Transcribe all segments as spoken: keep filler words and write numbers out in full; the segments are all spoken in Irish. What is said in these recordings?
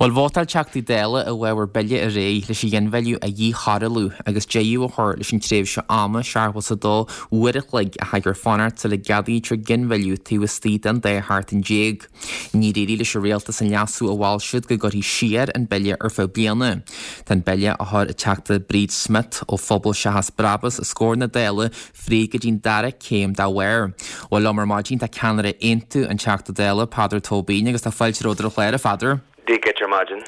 Bhuel, vótáil Teachtaí Dála i bhfabhar bille aréir leis an ghinmhilleadh a dhíchoiriúlú agus deireadh a chur leis an tréimhse ama seachtó a dó uair a chloig a chaithfear fanacht sula gceadaítear ginmhilleadh taobh istigh den dá sheachtain déag. Níor éirigh leis an rialtas an leasú a mhol siad go gcuirfí siar an bille ar feadh bliana. Tá an bille a chuir an Teachta Bríd Smith ó Phobal Seachas Brabús os comhair na Dála fríd go dtí'n dara céim dá bharr. Bhuel liom ar maidin tá ceannaire Aontú an Teachta Dála Peadar Tóibín agus tá fáilte romhat ar an chlár a Pheadair. Dia dhuit ar maidin.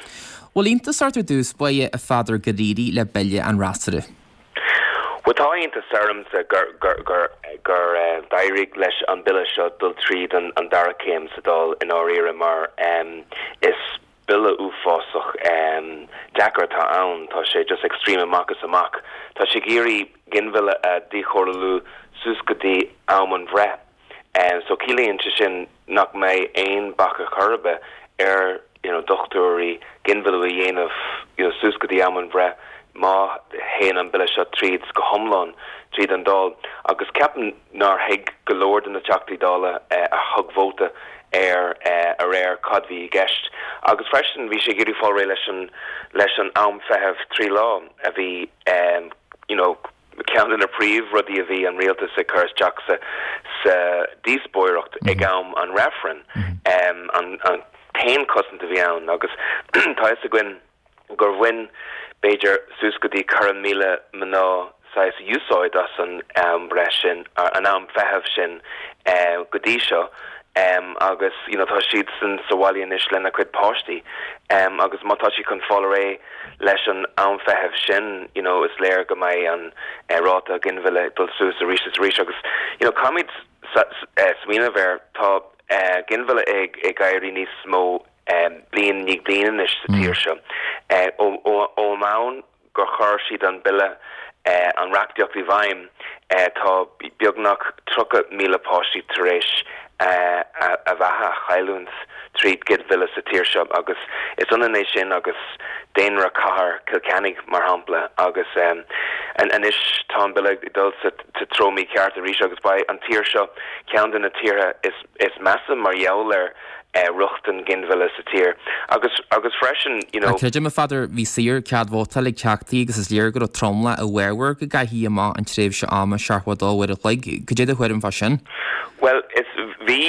Bhfuil iontas ort ar dtús báire a Pheadair gur éirigh le bille an fhreasúra. Bhuel tá iontas ormsa gur gur gur gur eh, d'éirigh leis an bille seo dul tríd an, an dara céim sa Dáil i ndáiríre mar um, is bille uafásach um, deacair atá ann tá sé just extreme amach is amach. Tá sé ag iarraidh ginmhilleadh a dhíchoiriúlú suas go dtí am an bhreith. Um, so ciallaíonn sé sin nach mbeidh aon bac ar chor ar bith ar you know, dochtúirí ginmhilleadh a dhéanamh you know, suas go dtí am an bhreith má théann an bille seo tríd go hiomlán tríd an Dáil agus ceapaim nár thuig go leor de na Teachtaí Dála eh, a thug vóta ar eh, aréir cad bhí i gceist. Agus freisin bhí sé ag iarraidh fáil réidh leis an leis an am feithimh trí lá a bhí um, you know, ceann de na príomhrudaí a bhí an rialtas ag cur isteach sa sa díospóireacht ag am an reifreann um, an, an t-aon chosaint a bhí ann agus tá fhios againn gur bhain b'fhéidir suas go dtí ceithre míle mná saghas úsáid as an am breith sin an am feithimh sin uh, go dtí seo um, agus you know, tá siad san sa bhaile anois lena cuid páistí um, agus má tá sí chun fáil réidh leis an am feithimh sin you know, is léir go mbeidh an uh, ráta ginmhilleadh dul suas arís is arís agus you know, caithfimid uh, smaoineamh air tá uh, ginmhilleadh ag ag éirí níos mó um, bliain ní bliain anois sa tír seo. Uh, ó an gur chuir siad an bille uh, an reachtaíocht i bhfeidhm uh, tá beagnach tríocha míle páistí tar éis uh, a, a bheatha a chailliúint tríd ginmhilleadh sa tír seo agus is ionann é sin agus daonra cathair Cill Chainnigh mar shampla agus um, an anois tá an bille dul sa treo mícheart arís agus beidh an tír seo ceann de na tíortha is, is measa mar gheall ar uh, rochtain ginmhilleadh sa tír agus agus freisin you know Creidim a Pheadair bhí saor cead vótáil ag teachtaí agus is léir go raibh tromlach i bhfabhar go gcaithfí amach an tréimhse ama seachtó a dó uair a chloig cad é do thuairim fá sin. Well is bhí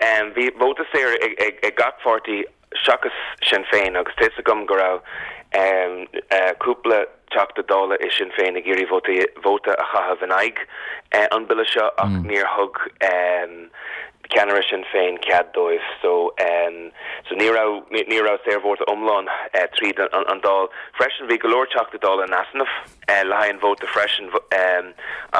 um, bhí vóta saor ag, ag, ag gach páirtí seachas Sinn Féin agus tá fhios agam go raibh um, uh, cúpla teachta dála i Sinn Féin ag iarraidh vóta vóta a chaitheamh in aghaidh uh, an bille seo ach mm. níor thug um, ceannaire Sinn Féin cead dóibh so um, so ní raibh ní raibh saorvóta iomlán uh, tríd an, an Dáil freisin bhí go leor teachtaí dála in easnamh uh, le haghaidh an vóta freisin um,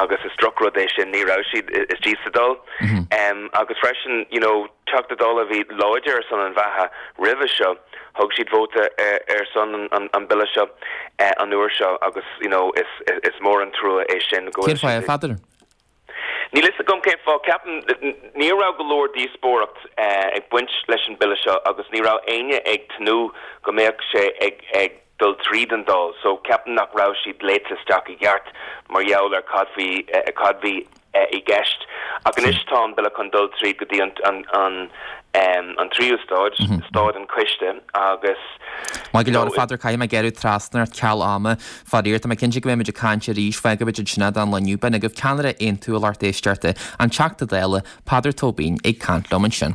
agus is drochrud é sin ní raibh siad istigh sa Dáil mm -hmm. um, agus freisin you know, teachtaí dála bhí láidir ar son an bheatha roimhe seo thug siad vóta ar, ar son an, an, an bille seo uh, an uair seo agus you know, is, is, is mór an trua é sin go Cén fáth a Pheadair? Níl fhios agam cén fáth ceapaim ní raibh go leor díospóireacht uh, ag baint leis an bille seo agus ní raibh éinne ag tnúth go mbeadh sé ag ag dul tríd an Dáil, so ceapaim nach raibh siad léite isteach i gceart mar gheall ar cad bhí uh, cad bhí uh, i gceist. Ach anois tá an bille chun dul tríd go dtí an, an, an, um, an tríú stáid mm -hmm. stáid an choiste agus Má go leor Pheadair caithfidh mé gearradh trasna ort ceal ama faraor tá mé cinnte go mbeimid ag caint arís fágfaimid ansin don lá inniu b'in agaibh ceannaire Aontú a lucht éisteachta an Teachta Dála Peadar Tóibín ag caint liom ansin.